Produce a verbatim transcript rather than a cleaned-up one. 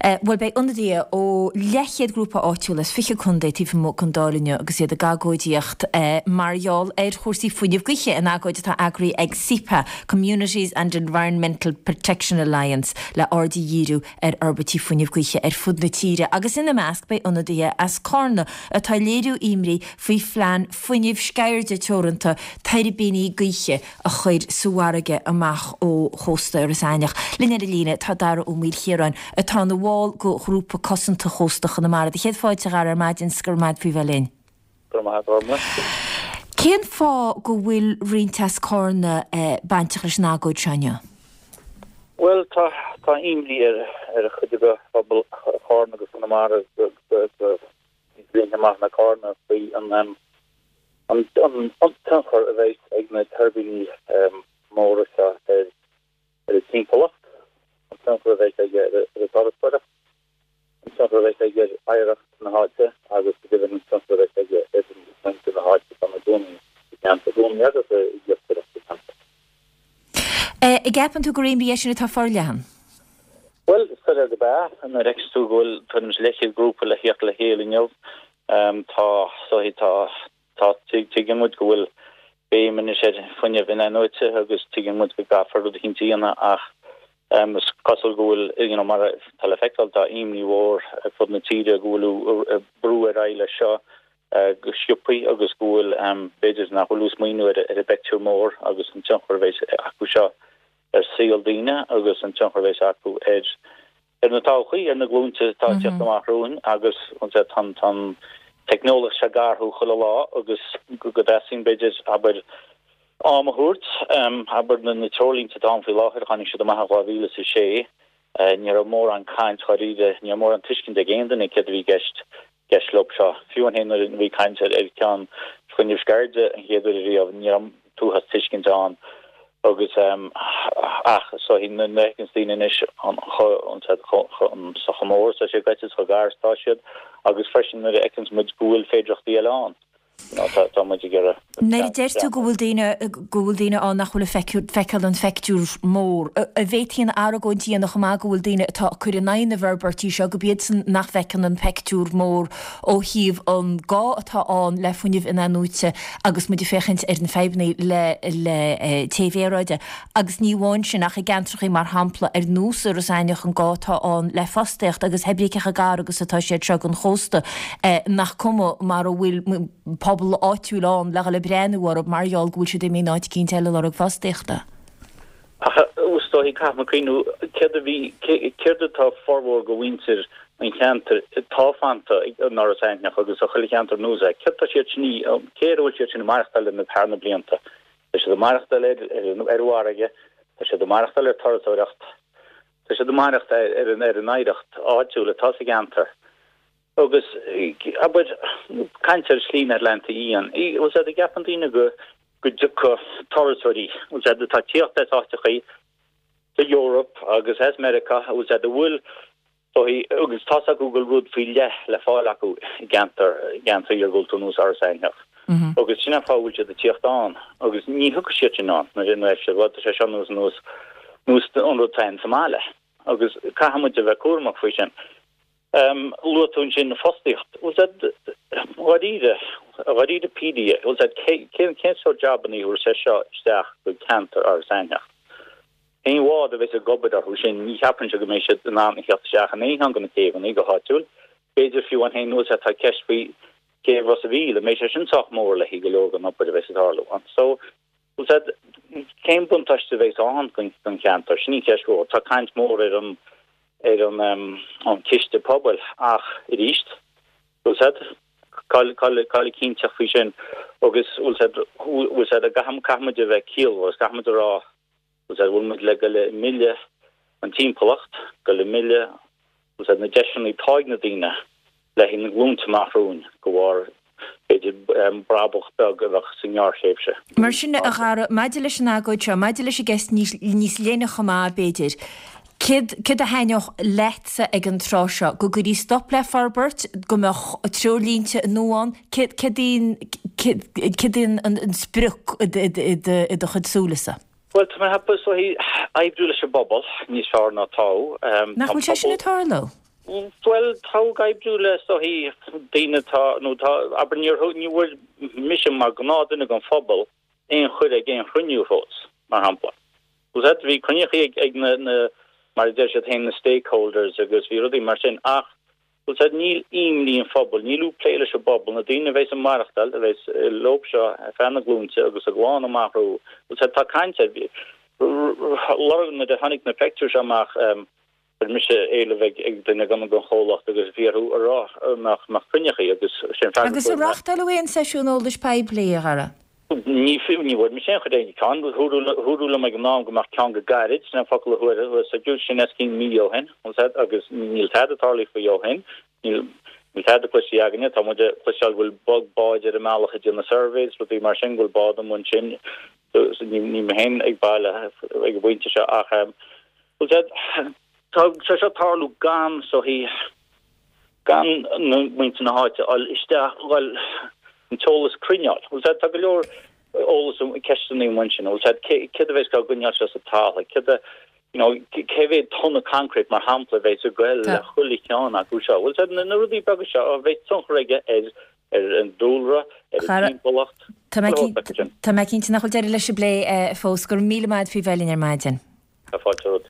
Bhuel, beidh ionadaithe ó leathchéad grúpa áitiúil as fiche contae taobh amuigh den Dáil inniu agus iad ag agóidíocht mar gheall ar chúrsaí fuinnimh gaoithe, in agóid atá eagraithe ag CEPA, Communities and Environmental Protection Alliance, le aird a dhíriú ar fhorbairtí fuinnimh gaoithe ar fud na tíre agus ina measc beidh ionadaithe as Carna atá ag léiriú imní faoi phlean Fuinneamh Sceirde Teoranta tuirbíní gaoithe a chur sa bhfarraige amach ó chósta Iorras Aithneach. Linn ar an líne tá Dara Ó Maoilchiaráin, atá ina bhall de Ghrúpa Cosanta Chósta Chonamara. Do chéad fáilte, a Dhara, ar maidin 's go raibh maith agat faoi bheith linn. Go raibh maith agat, Ormla. Cén fáth go bhfuil roinnt as Carna bainteach leis an agóid seo inniu? Bhuel, tá tá imní ar ar chuid de phobal Chárna agus Chonamara go go go níos leithne amach ná Carna faoi an an an tionchar a bheidh ag na tuirbíní móra seo ar ar an timpeallacht, an tionchar a bheidh aige ar an turasóireacht, an tionchar a bheidh aige ar oidhreacht na háite agus go deimhin an tionchar a bheidh aige ar mhuintir na háite atá ina gcónaí sa cheantar, i gcónaí agus ag iascaireacht sa cheantar. An gceapann tú gur imní é sin atá forleathan? Bhuel, is soiléir gurb ea. Nuair a fheiceann tú go bhfuil tuairim is leathchéad grúpa le theacht le chéile inniu, tá, tá, tá, tuigeann muid go bhfuil béim anois ar fuinneamh in-athnuaite agus tuigeann muid go gcaithfear rud eicínt a dhéanamh ach is cosúil go bhfuil, you know, mar atá le feiceáil, tá imní mhór ar fud na tíre go bhfuil brú ar aghaidh leis seo go sciobtha agus go bhfuil, b'fhéidir nach bhfuil ag smaoineamh ar an bpictiúr mór agus an tionchar a bheas acu seo ar saol daoine agus an tionchar a bheas acu ar ar na todhchaí, ar na glúinte atá ag teacht amach romhainn agus tá an tá an teicneolaíocht seo ag athrú chuile lá agus go dteastaíonn b'fhéidir, abair, am a thabhairt, abair na na treoirlínte atá ann faoi láthair, tháinig siad amach in dhá mhíle is a sé, ní raibh mórán caint dháiríre, ní raibh mórán tuiscint ag aon duine céard a bhí i gceist gceist leo seo. Fiú amháin nuair a bhí caint ar ar cheann fuinneamh sceirde an chéad uair ariamh, ní raibh tuathas tuiscint ann agus ach so nuair a fheiceanns daoine anois an chomh mór is atá sé gaite is chomh gar is atá siad agus freisin nuair a fheiceanns muid go bhfuil féidireachtaí eile ann, you know, tá muid ag iarraidh. Nuair a deir tú go bhfuil daoine, go bhfuil daoine ann nach bhfuil ag feiceáil an phictiúr mór, an bhféadfaí an argóint a dhéanamh chomh maith go bhfuil daoine atá ag cur in aghaidh na bhforbairtí seo, gurb iadsan nach bhfeiceann an pictiúr mór ó thaobh an gá atá ann le fuinneamh in-athnuaite agus muid ag féachaint ar na fadhbanna le le téamh aeráide agus ní amháin sin ach i gceantracha mar shampla ar nós Iorras Aithneach an gá atá ann le fostaíocht agus pé ar bith cé chomh gar agus atá siad seo don chósta nach cuma mara bhfuil pobal áitiúil ann le dhul ag breathnú orthu mar gheall go bhfuil siad imithe in áit eicínt eile ag lorg fostaíochta. Ach is dóichí caithfidh muid cuimhniú céard a bhí, céard atá formhór de mhuintir an cheantair atá fanta in Iorras Aithneach agus sa chuile cheantar anuas air, céard tá siad sin, cé air a bhfuil siad sin ag maireachtáil le thar na blianta? Tá siad ag maireachtáil ar ar an bhfarraige, tá siad ag maireachtáil ar turasóireacht, tá siad ag maireachtáil ar an ar an oidhreacht áitiúil atá sa gceantar. Agus, abair, caint ar Shlí na hAtlantach Fhiáin, bhfuil sé, an gceapann daoine go go dtiocfadh turasóirí, bhfuil sé, atá ag tíocht as áiteachaí sa Eoraip agus as Meiriceá, bhfuil sé, a bhfuil dóigh, agus tá's acu go bhfuil rud faoi leith le fáil acu i gceantar, i gceantar iargúlta ar nós Iorras Aithneach. Agus sin an fáth a bhfuil siad ag tíocht ann agus ní thiocfaidh siad sin ann nuair a bheidh siad, bhuel, tá sé seo nós nós nós an rud atá ann sa mbaile. Agus caithfidh muid a bheith cúramach faoi sin. Luaigh tú ansin fostaíocht. Bhfuil sé dháiríre, dháiríre píre, bhfuil sé cén cén sórt jabanna a thabharfas sé seo isteach go ceantar Iorras Aithneach? Aon bhád a bheas ag obair orthu sin, ní cheapfainnse go mbeidh siad in ann a theacht isteach in aon cheann de na céibheanna go háitiúil. B'fhéidir fiú amháin féin, bhfuil sé, tá ceist faoi céibh Ros a' Mhíl, an mbeidh sé sin sách mór le haghaidh go leor den obair a bheas ag tarlú ann? So, bhfuil sé, cén buntáiste a bheas ann don cheantar? Sin í an cheist mhór. Tá caint mhór ar an ar an chiste pobail ach arís, bhfuil sé, cá'il cá'il an chinnteacht faoi sin agus bhfuil sé, bhfuil sé, caithfidh muid a bheith ciallmhar agus caithfidh muid a rá, bhfuil sé, bhfuil muid le goil ag milleadh an timpeallacht, goil ag milleadh, bhfuil sé, na deiseanna atá ag na daoine le haghaidh na glúnta amach romhainn de bharr, b'fhéidir, brabach beag a bheadh sa ngearrthréimhse. Mar sin, a Dhara, maidir leis an agóid seo, maidir leis an gceist níos leithne chomh maith, b'fhéidir, céard, céard a thaitneodh leatsa ag an tráth seo? Go gcuirfí stop le forbairt, go mbeadh treoirlínte nua ann? Céard, céard í an, céard í an sprioc i do chuid súilese? Bhuel, tá mé ag ceapadh, is dóichí, oibriú leis an bpobal níos fearr ná atá. Nach bhfuil sé sin ag tarlú? Bhuel, tá ag oibriú le is dóichí daoine atá, nó tá, abair níor thug, ní bhfuair mise mar ghnáthduine den phobal aon chuireadh ag aon chruinniú fós, mar shampla. Bhuel, bhí cruinnithe ag, ag na, na, mar a deir siad féin, na stakeholders agus bhí rudaí mar sin ach, bhuel, said, níl imní an phobail, níl plé leis an bpobal, na daoine a bheas ag maireachtáil, a bheas leo seo ar feadh na glúinte agus a gclann amach rompu, bhuel, said, tá caint ar, lorg nuair a tháinig na pictiúir seo amach, Chuir mise éileamh ag duine den chomhlacht agus bhí orthu a rá nach mbeadh cruinnithe agus sin freagra Agus ar reáchtáladh aon seisiún eolais poiblí, a Dhara? Ní fiú, ní bhfuair mise aon chuireadh ag ceann. Dúradh liom ag an am go mbeadh ceann go gairid, sin an focal a fuaireas, sin os cionn mí ó shin, agus níl tada tarlaithe faoi ó shin. Níl tada cloiste againne. Tá muid ag cloisteáil go bhfuil bog báid ar an mbealach ag déanamh surveys, rudaí mar sin, go bhfuil bád amuigh ansin. Níl mé féin ag baile ag an bpointe seo ach bhuel, tá sé seo ag tarlú gan is dóichí gan na muintir na háite a fháil isteach, bhuel, an t-eolas cruinn a fháil. Bhuel, tá go leor eolas ceisteanna amuigh ansin. Bhuel, céard a bheas á gcoinneáil seo sa talamh? Céard a, you know, cé mhéad tonna concrete mar shampla a bheas ag goil le chuile cheann acu seo? Bhuel, na rudaí beaga seo a bheas tionchar aige ar ar an dúlra, ar an timpeallacht. Tá mé cinnte nach bhfuil deireadh leis an bplé fós. Go raibh míle maith agat faoi bheith linn ar maidin. Tá fáilte romhat.